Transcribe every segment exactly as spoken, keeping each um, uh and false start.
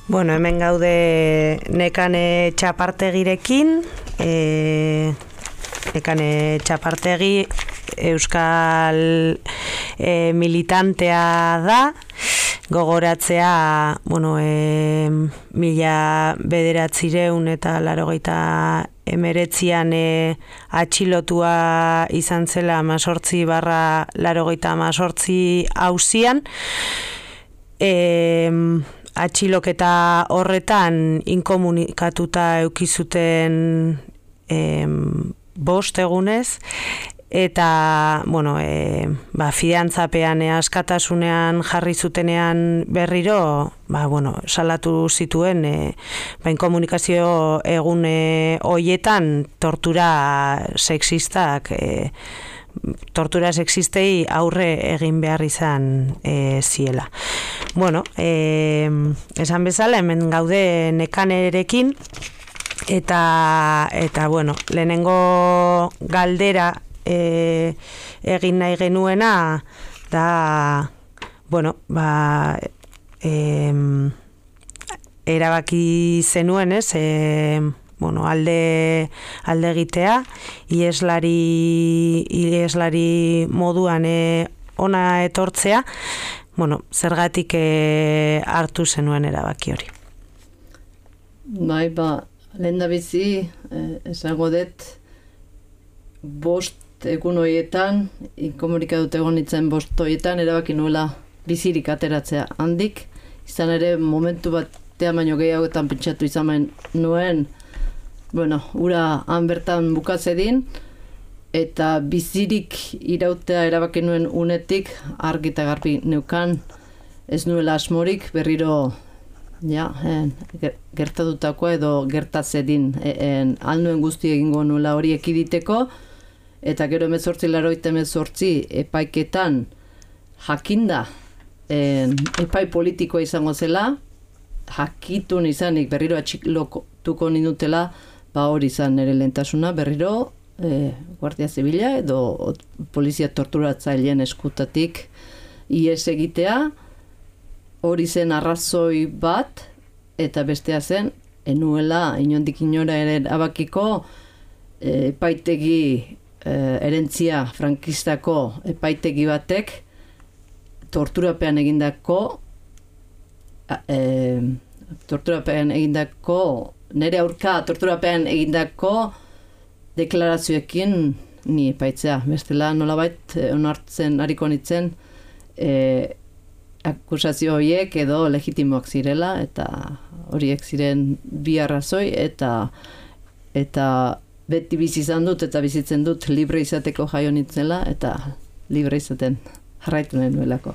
Bueno, hemen gaude Nekane Txapartegirekin, e, Nekane Txapartegi euskal e, militantea da, gogoratzea, bueno, e, mila bederatzireun eta larogeita emeretzian e, atxilotua izan zela amazortzi barra larogeita amazortzi auzian, e, atxiloketa horretan inkomunikatuta eukizuten em, bost egunez, eta, bueno, e, ba, fiantzapean e, askatasunean jarri zutenean berriro, ba, bueno, salatu zituen, e, ba, inkomunikazio egun e, hoietan tortura sexistak, e, tortura sexistei aurre egin behar izan e, ziela. Bueno, e, esan bezala, hemen gaude Nekanerekin, eta, eta bueno, lehenengo galdera e, egin nahi genuena, da, bueno, ba, e, erabaki zenuen, ez, e, bueno, alde, alde egitea, ieslari, ieslari moduan e, ona etortzea, bueno, zergatik e, hartu zenuen erabaki hori. Bai, ba, lehen da bizi, eh, esango dut, bost egun horietan, inkomunikatut egon nintzen bost horietan, erabaki nuela bizirik ateratzea handik, izan ere momentu batean baino gehiagoetan pentsatu izan nuen, bueno, ura han bertan bukatzedin, eta bizirik irautea erabaki nuen unetik, argi eta garbi neukan, ez nuela asmorik, berriro ja, en, gertatutakoa edo gertatzedin, en, alnuen guzti egingo nuela hori ekiditeko, eta gero emezortzi laroita emezortzi epaiketan jakinda, en, epai politikoa izango zela, jakitun izanik berriro atxilotuko nindutela, ba hori izan nire lehentasuna, berriro e, Guardia Zibila edo polizia torturatzaileen eskutatik ihes egitea, hori zen arrazoi bat, eta bestea zen, enuela inondik inora ere abakiko e, epaitegi e, erentzia frankistako epaitegi batek torturapean egindako e, torturapean egindako nere aurka torturapean egindako deklarazioekin ni epaitzea. Bestela nolabait onartzen hariko nitzen e, akusazio horiek edo legitimoak zirela, eta horiek ziren bi arrazoi, eta eta beti bizi izan dut eta bizitzen dut libre izateko jaio nintzela, eta libre izaten jarraitu nahi nuelako.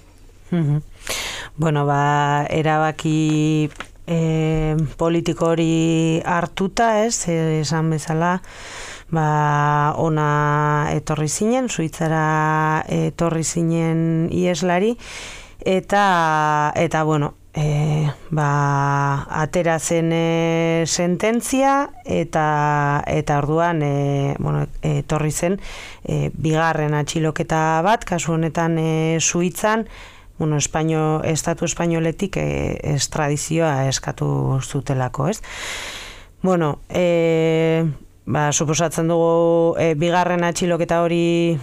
Bueno, ba, erabaki E, politiko hori hartuta, ez, esan bezala, ba, ona etorri zinen, Suitzara etorri zinen ieslari, eta, eta bueno, e, ba, atera zen e, sententzia, eta, eta orduan, e, bueno, etorri zen, e, bigarren atxiloketa bat, kasu honetan e, Suitzan, bueno, Espaino, estatu espainoletik e, estradizioa eskatu zutelako, ez? Bueno, e, ba, suposatzen dugu e, bigarren atxiloketa hori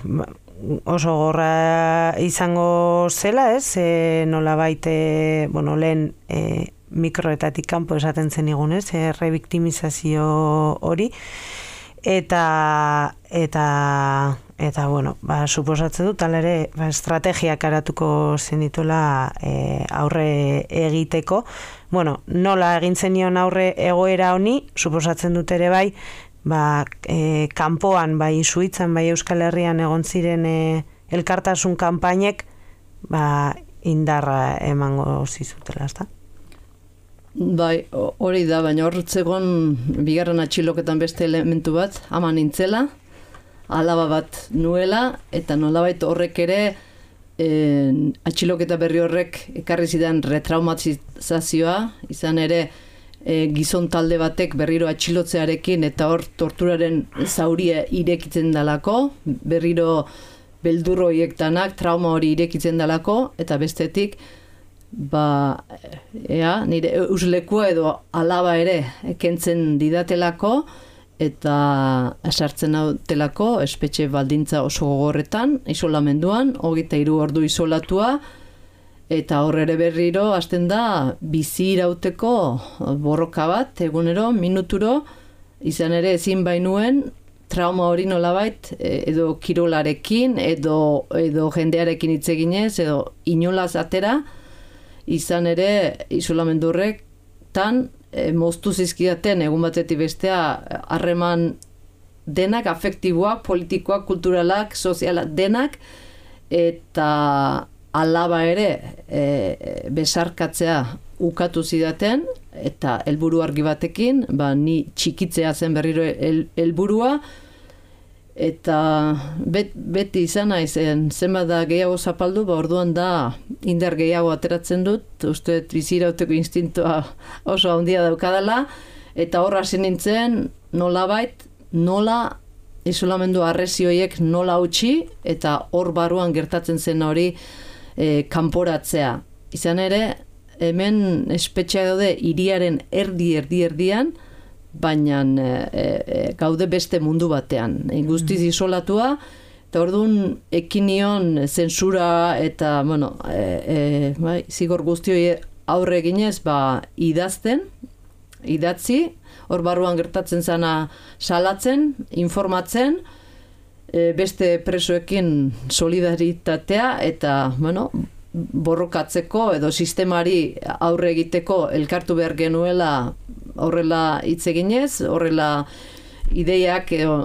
oso gorra izango zela, ez? E, nola baite, bueno, lehen e, mikroetatik kanpo esaten zen igunez, e, rebiktimizazio hori, eta, eta, eta, bueno, ba, suposatzen dut, ala ere, ba, estrategiak aratuko zenituela e, aurre egiteko. Bueno, nola egin zenion aurre egoera honi, suposatzen dut ere bai, ba, e, kanpoan, bai Suitzan, bai Euskal Herrian egon ziren e, elkartasun kanpainek, ba, indarra emango zizutela, ezta? Bai, hori da, baina horretzegon bigarren atxiloketan beste elementu bat, ama nintzela, alaba bat nuela, eta nolabait horrek ere e, atxiloketa berri horrek ekarri zidan retraumatizazioa, izan ere e, gizon talde batek berriro atxilotzearekin eta hor torturaren zauria irekitzen dalako, berriro beldurro hiektanak trauma hori irekitzen dalako, eta bestetik ba, ea, nire uslekua edo alaba ere kentzen didatelako, eta sartzen nautelako espetxe baldintza oso gogorretan, isolamenduan, hogeita hiru ordu isolatua, eta hor ere berriro hasten da bizi irauteko borroka bat, egunero, minuturo, izan ere ezin bainuen, trauma hori nolabait, edo kirolarekin, edo, edo jendearekin hitz eginez, edo inolaz atera, izan ere isolamendu horrek tan e, moztu zizkidaten egun batetik bestea harreman denak, afektiboak, politikoak, kulturalak, sozialak denak, eta alaba ere e, besarkatzea ukatu zidaten, eta helburu argi batekin, ba, ni txikitzea zen berriro helburua, eta bet, beti izan naizen zenbat da gehiago zapaldu, ba orduan da indar gehiago ateratzen dut, uste bizirauteko instintoa oso handia daukadala, eta hor hasi nintzen nolabait, nola isolamendu arrezioiek nola utzi, eta hor barruan gertatzen zen hori e, kanporatzea. Izan ere, hemen espetxea daude hiriaren erdi erdi erdian, baina e, e, gaude beste mundu batean. E, guztiz isolatua, eta orduan ekinion zentsura eta, bueno, e, e, bai, zigor guztioi aurre eginez, ba, idazten, idatzi, hor barruan gertatzen zana salatzen, informatzen, e, beste presoekin solidaritatea, eta, bueno, borrokatzeko edo sistemari aurre egiteko elkartu behar genuela horrela hitz eginez, horrela ideiak edo,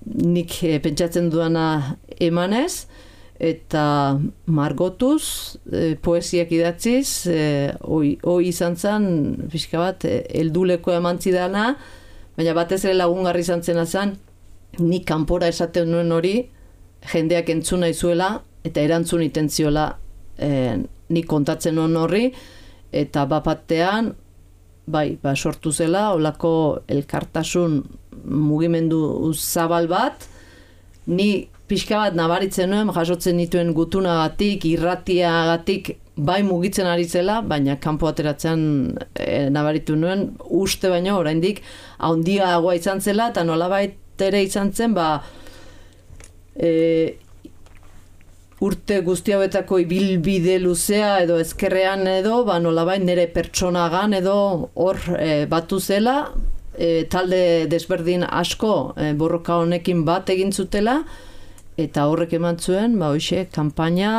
nik e, pentsatzen duana emanez, eta margotuz, e, poesiak idatziz, e, hoi, hoi izan zen, pixka bat, e, helduleko eman zidana, baina batez ere lagungarri izan zena zen, nik kanpora esaten nuen hori, jendeak entzuna izuela, eta erantzun itentziola e, nik kontatzen nuen horri, eta bapatean, bai, ba, sortu zela, olako elkartasun mugimendu zabal bat, ni pixka bat nabaritzen nuen, jasotzen dituen gutunagatik, irratiagatik, bai mugitzen ari zela, baina kanpo ateratzean e, nabaritu nuen, uste baino oraindik handiagoa izan zela, eta nolabait ere izan zen, ba, e, urte guzti hauetako ibilbide luzea edo ezkerrean edo, ba, nolabait nire pertsonagan edo hor e, batu zela, e, talde desberdin asko e, borroka honekin bat egin zutela, eta horrek eman zuen, ba, hoxe, kanpaina,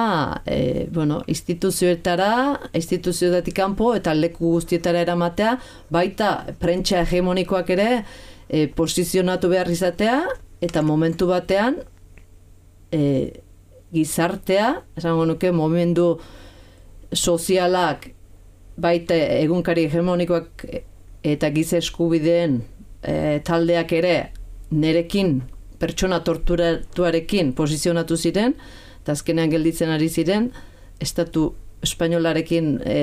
e, bueno, instituzioetara, instituzioetatik kanpo, eta leku guztietara eramatea, baita prentsa hegemonikoak ere e, posizionatu behar izatea, eta momentu batean, e, gizartea, esango nuke, momentu sozialak, baita egunkari hegemonikoak eta giza eskubideen e, taldeak ere nerekin, pertsona torturatuarekin posizionatu ziren, eta azkenean gelditzen ari ziren, estatu espainolarekin e,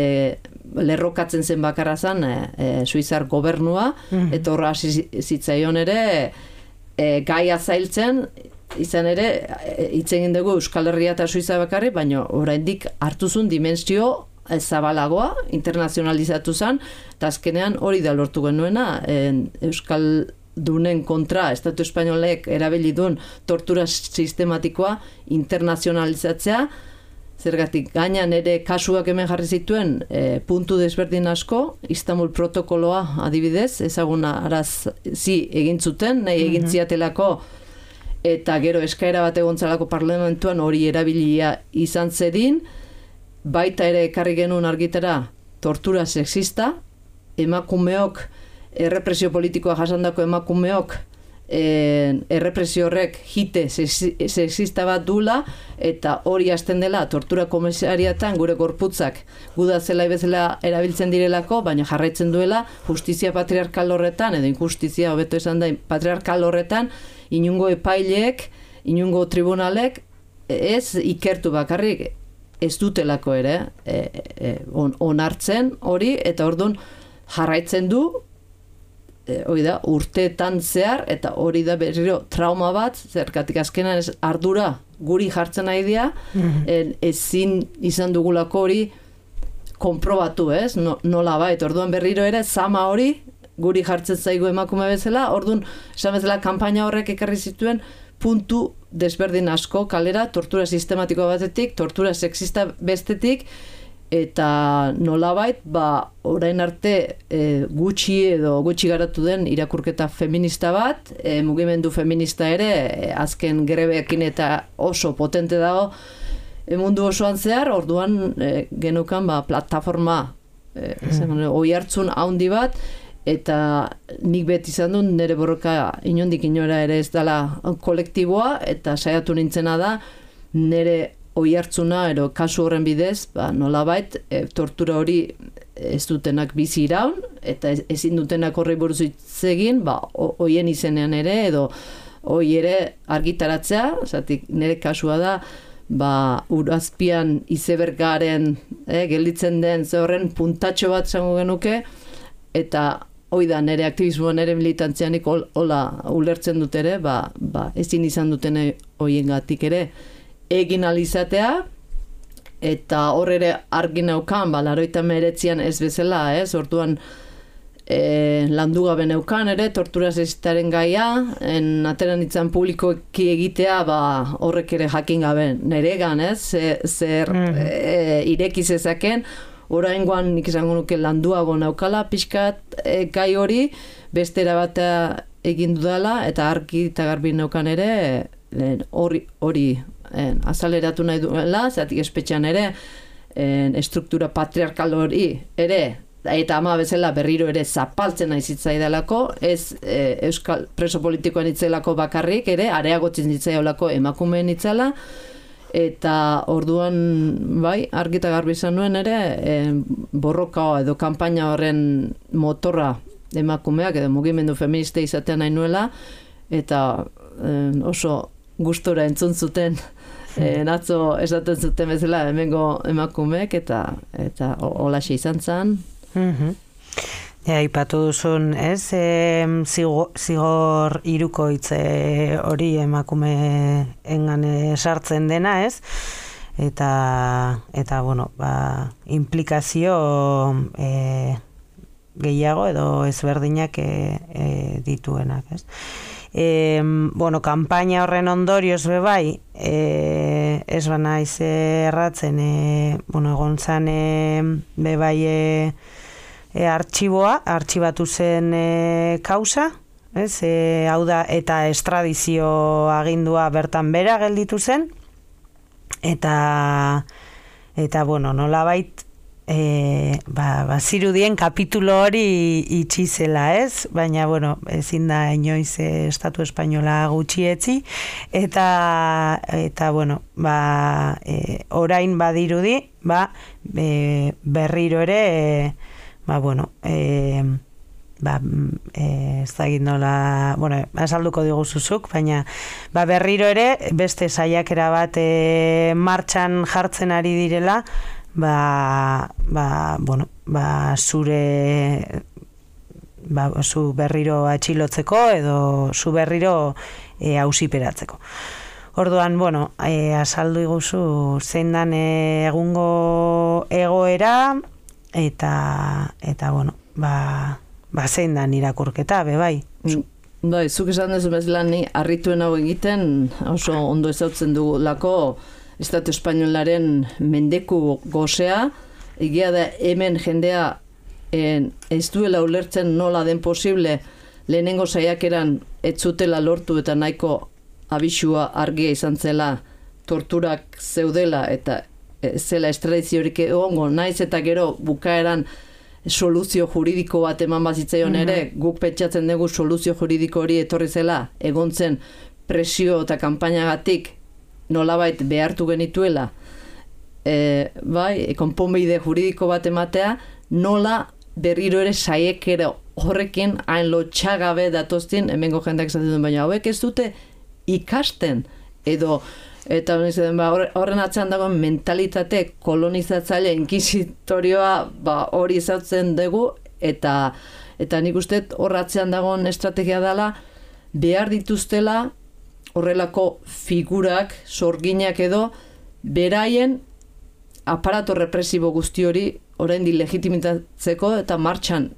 lerrokatzen zen bakarra zen e, e, Suizar gobernua, mm-hmm. eta horra hasi zitzaion ere e, gaia zailtzen, izan ere, hitz egin dugu Euskal Herria eta Suiza bakarri, baina oraindik hartuzun dimensio zabalagoa, internazionalizatu zen, eta azkenean hori da lortu genuena, en, Euskal dunen kontra, Estatu Espainolek erabili duen tortura sistematikoa internazionalizatzea, zergatik gainan ere kasuak hemen jarri zituen e, puntu desberdin asko, Istanbul protokoloa adibidez, ezaguna arazi egin zuten, nahi egin ziatelako, eta gero eskaera bat egontzalako parlamentuan hori erabilia izan zedin, baita ere ekarri genuen argitara tortura sexista, emakumeok, errepresio politikoa jasandako emakumeok, e, errepresio horrek jite sexista bat dula, eta hori hasten dela tortura komisariatan gure gorputzak guda zela bezala erabiltzen direlako, baina jarraitzen duela justizia patriarkal horretan, edo injustizia hobeto esan da patriarkal horretan, inungo epaileek, inungo tribunalek, ez ikertu bakarrik, ez dutelako ere, e, e, on, onartzen hori, eta orduan jarraitzen du, e, hori da, urteetan zehar, eta hori da berriro trauma bat, zergatik azkenan ez ardura guri jartzen nahi dira, mm-hmm. ezin izan dugulako hori konprobatu, ez? No, nola bait, orduan berriro ere, zama hori, guri jartzen zaigu emakume bezala, orduan, esan bezala, kanpaina horrek ekarri zituen, puntu desberdin asko kalera, tortura sistematiko batetik, tortura sexista bestetik, eta nolabait, ba, orain arte e, gutxi edo gutxi garatu den irakurketa feminista bat, e, mugimendu feminista ere, e, azken grebeekin eta oso potente dago, e, mundu osoan zehar, orduan e, genukan ba, plataforma, e, mm. oi hartzun haundi bat, eta nik beti izan dut nire borroka inondik inora ere ez dela kolektiboa, eta saiatu nintzena da nire oi hartzuna ero kasu horren bidez, ba, nolabait e, tortura hori ez dutenak bizi iraun, eta ez, ezin dutenak horri buruz hitz egin, ba, hoien izenean ere, edo hoi ere argitaratzea, zatik nire kasua da, ba, urazpian izebergaren eh, gelditzen den ze horren puntatxo bat zango genuke, eta hoi da, nire aktivismoan, nire militantzianik hola ulertzen dut ere, ba, ba, ezin izan dutene hoiengatik ere egin alizatea, eta hor ere argi neukan, ba, laroita meretzian ez bezala, ez, orduan e, landu gabe neukan ere, tortura sexistaren gaia, en ateran itzan publikoki egitea, ba, horrek ere jakin gabe niregan, ez, zer mm. e, ireki zezaken, oraingoan nik izango nuke landuago naukala, pixkat e, gai hori, bestera batea egin dudala, eta argi eta garbi neukan ere, hori hori en, azaleratu nahi duela, zatik espetxean ere, en, estruktura patriarkal hori ere, eta ama bezala berriro ere zapaltzen nahi zitzaidalako, ez e, euskal preso politikoan itzelako bakarrik ere, areagotzen zitzaiolako emakumeen itzala, eta orduan bai, argita garbi izan nuen ere e, borroka edo kanpaina horren motorra emakumeak edo mugimendu feminista izatea nahi nuela, eta e, oso gustora entzun zuten e, atzo esaten zuten bezala hemengo emakumeek, eta eta holaxe izan zen. Mm-hmm. Ja, ipatu duzun, ez, e, zigor, zigor hirukoitze hori emakume engan sartzen dena, ez, eta, eta bueno, ba, implikazio e, gehiago edo ezberdinak e, e, dituenak, ez. E, bueno, kanpaina horren ondorioz bebai, e, ez bana iz erratzen, e, bueno, egon zan e, bebai e, E, artxiboa, artxibatu zen e, kausa, ez, e, hau da, eta estradizio agindua bertan bera gelditu zen, eta, eta bueno, nolabait, e, ba, ba, zirudien kapitulo hori itxi zela, ez, baina, bueno, ezin da inoiz e, Estatu Espainola gutxietzi, eta, eta bueno, ba, e, orain badirudi, ba, e, berriro ere, e, ba, bueno, e, ba, e, ez da nola, bueno, azalduko diguzuzuk, baina ba, berriro ere, beste saiakera bat e, martxan jartzen ari direla, ba, ba, bueno, ba, zure, ba, zu berriro atxilotzeko, edo zu berriro e, auziperatzeko. Orduan, bueno, e, azaldu iguzu zein dan e, egungo egoera, eta eta bueno, ba ba zein da irakurketa be bai. Bai, zuk esan duzu bezala ni harrituen hau egiten oso ondo ezautzen dugulako Estatu Espainolaren mendeku gozea, egia da hemen jendea en, ez duela ulertzen nola den posible lehenengo saiakeran ez zutela lortu eta nahiko abisua argia izan zela torturak zeudela eta zela estradiziorik egongo, naiz eta gero bukaeran soluzio juridiko bat eman bazitzaion ere, mm-hmm. guk pentsatzen dugu soluzio juridiko hori etorri zela, egon zen presio eta kanpainagatik nolabait behartu genituela, e, bai, konponbide juridiko bat ematea, nola berriro ere saiekera horrekin hain lotxagabe datoztien, hemengo jendeak esaten duen, baina hauek ez dute ikasten, edo eta horren atzean dagoen mentalitate kolonizatzaile inkizitorioa ba, hori ezautzen dugu, eta eta nik uste hor atzean dagoen estrategia dela behar dituztela horrelako figurak, sorginak edo beraien aparato represibo guzti hori oraindik legitimitatzeko eta martxan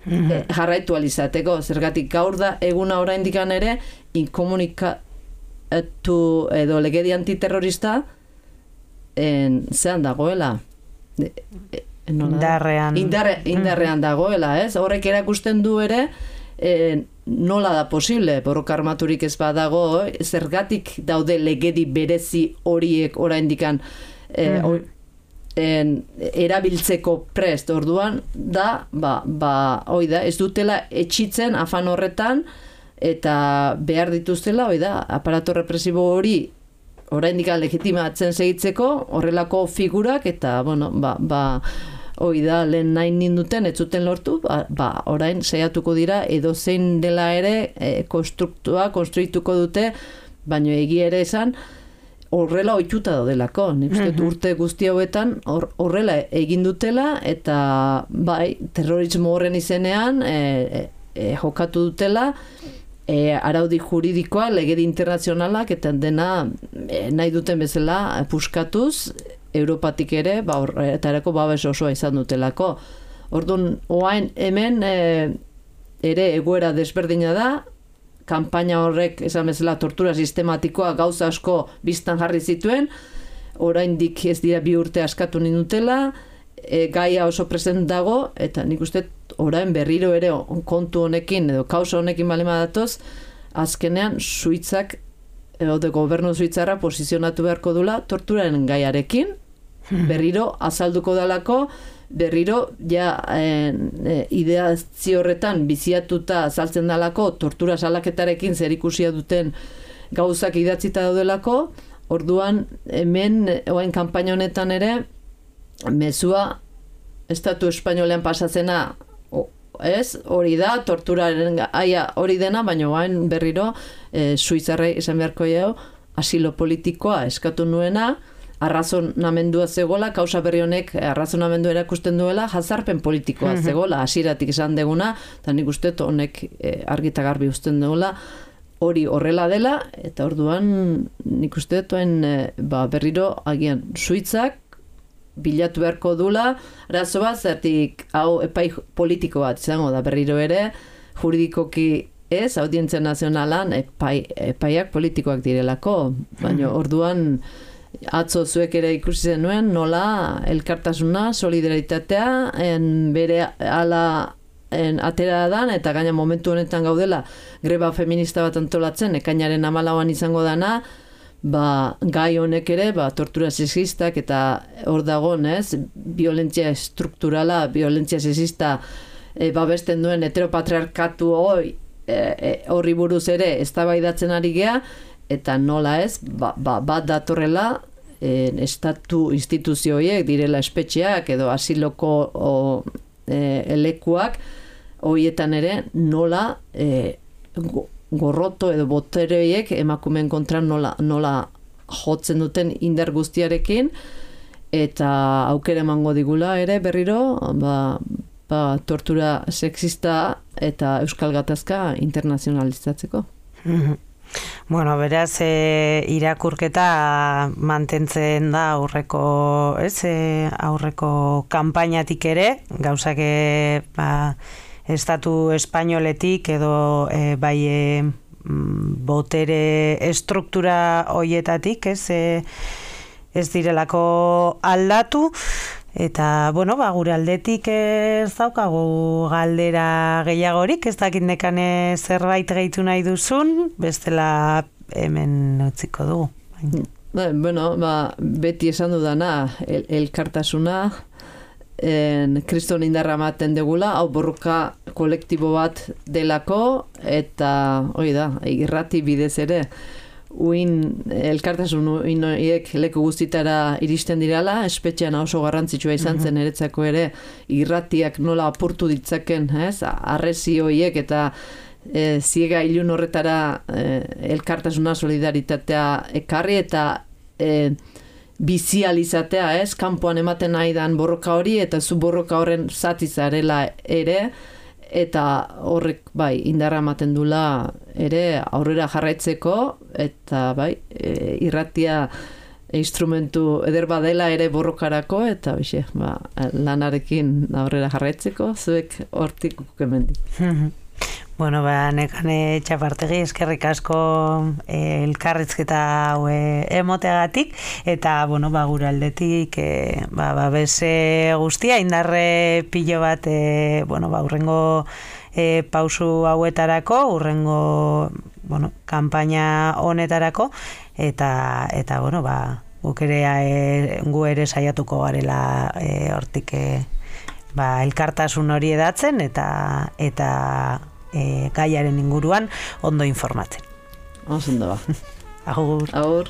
mm-hmm. e, jarraitu alizateko. Zergatik gaur da eguna oraindik ere inkomunikatu edo legedi antiterrorista en, zean dagoela. E, e, indarrean. Indarre, indarrean dagoela, ez? Horrek erakusten du ere e, nola da posible, borroka armaturik ez badago, zergatik daude legedi berezi horiek oraindikan e, mm-hmm. en, erabiltzeko prest. Orduan da, ba, ba, hoi da, ez dutela etxitzen afan horretan eta behar dituztela, hoi da, aparato represibo hori oraindikan legitimatzen segitzeko horrelako figurak eta, bueno, ba, ba hoi da, lehen nahi ninduten, ez zuten lortu, ba, ba orain saiatuko dira, edo zein dela ere, e, konstruktua, konstruituko dute, baino egia ere esan, horrela ohituta daudelako. Nik uste mm-hmm. urte guzti hauetan horrela egin dutela, eta bai, terrorismo horren izenean, e, e, jokatu dutela, e, araudi juridikoa, legedi internazionalak, eta dena e, nahi duten bezala puskatuz, Europatik ere, ba, eta erako babes osoa izan dutelako. Orduan, oain hemen e, ere egoera desberdina da, kanpaina horrek, esan bezala, tortura sistematikoa gauza asko biztan jarri zituen, oraindik ez dira bi urte askatu nindutela, e, gaia oso present dago, eta nik uste orain berriro ere kontu honekin, edo kausa honekin balema datoz, azkenean Suitzak edo de gobernu suitzarra posizionatu beharko dula torturaren gaiarekin, berriro azalduko dalako, berriro ja e, e, ideazio horretan biziatuta azaltzen dalako tortura salaketarekin zerikusia duten gauzak idatzita daudelako, orduan hemen oain kanpaina honetan ere mezua estatu espainolean pasatzena ez, hori da, torturaren aia hori dena, baina oain berriro e, suitzarrei esan beharko jau, asilo politikoa eskatu nuena, arrazonamendua zegoela, kausa berri honek arrazonamendua erakusten duela, jazarpen politikoa mm-hmm. zegoela, hasiratik esan deguna, eta nik uste honek e, argita garbi usten duela, hori horrela dela, eta orduan nik uste duen e, ba, berriro agian suitzak, bilatu beharko dula, arazo bat, zertik hau epai politiko bat izango da berriro ere, juridikoki ez, audientzia nazionalan epai, epaiak politikoak direlako, baina orduan atzo zuek ere ikusi zenuen nola elkartasuna, solidaritatea, en bere ala en atera dan, eta gaina momentu honetan gaudela greba feminista bat antolatzen, ekainaren hamalauan izango dana, ba, gai honek ere, ba, tortura sexistak eta hor dagoen, ez, violentzia estrukturala, violentzia sexista e, babesten duen heteropatriarkatu hori e, e, horri buruz ere eztabaidatzen ari gea, eta nola ez, ba, ba, bat datorrela e, estatu instituzioiek direla espetxeak edo asiloko o, e, elekuak horietan ere nola e, go, gorroto edo botereiek emakumeen kontra nola, nola jotzen duten indar guztiarekin eta aukera emango digula ere berriro ba, ba, tortura sexista eta euskal gatazka internazionalizatzeko. Bueno, beraz e, irakurketa mantentzen da aurreko, ez, e, aurreko kanpainatik ere, gauzak e, ba, estatu espainoletik edo e, bai e, botere estruktura hoietatik ez, e, ez direlako aldatu eta bueno, ba, gure aldetik ez daukagu galdera gehiagorik, ez dakit nekane zerbait gehitu nahi duzun, bestela hemen utziko dugu. Bueno, ba, beti esan dudana el, elkartasuna en kriston indarra ematen degula, hau borroka kolektibo bat delako, eta hori da, irrati bidez ere, uin elkartasun uinoiek leku guztitara iristen dirala, espetxean oso garrantzitsua izan zen eretzako ere, irratiak nola apurtu ditzaken, ez, arrezi horiek eta e, ziega ilun horretara e, elkartasuna, solidaritatea ekarri eta e, bizializatea, ez, kanpoan ematen nahi dan borroka hori, eta zu borroka horren zati zarela ere, eta horrek, bai, indarra ematen dula ere aurrera jarraitzeko, eta bai, e, irratia instrumentu eder badela ere borrokarako, eta bixe, ba, lanarekin aurrera jarraitzeko, zuek hortik ukukemendik. Bueno, ba, nekane Txapartegi, eskerrik asko eh, elkarrizketa hau eh, emoteagatik, eta, bueno, ba, gure aldetik, eh, ba, ba, beze guztia, indarre pilo bat, eh, bueno, ba, urrengo eh, pausu hauetarako, urrengo, bueno, kanpaina honetarako, eta, eta bueno, ba, guk ere, e, gu ere saiatuko garela e, hortik e, ba, elkartasun hori edatzen, eta, eta e, gaiaren inguruan ondo informatzen. Oso ondo ba. Agur. Agur.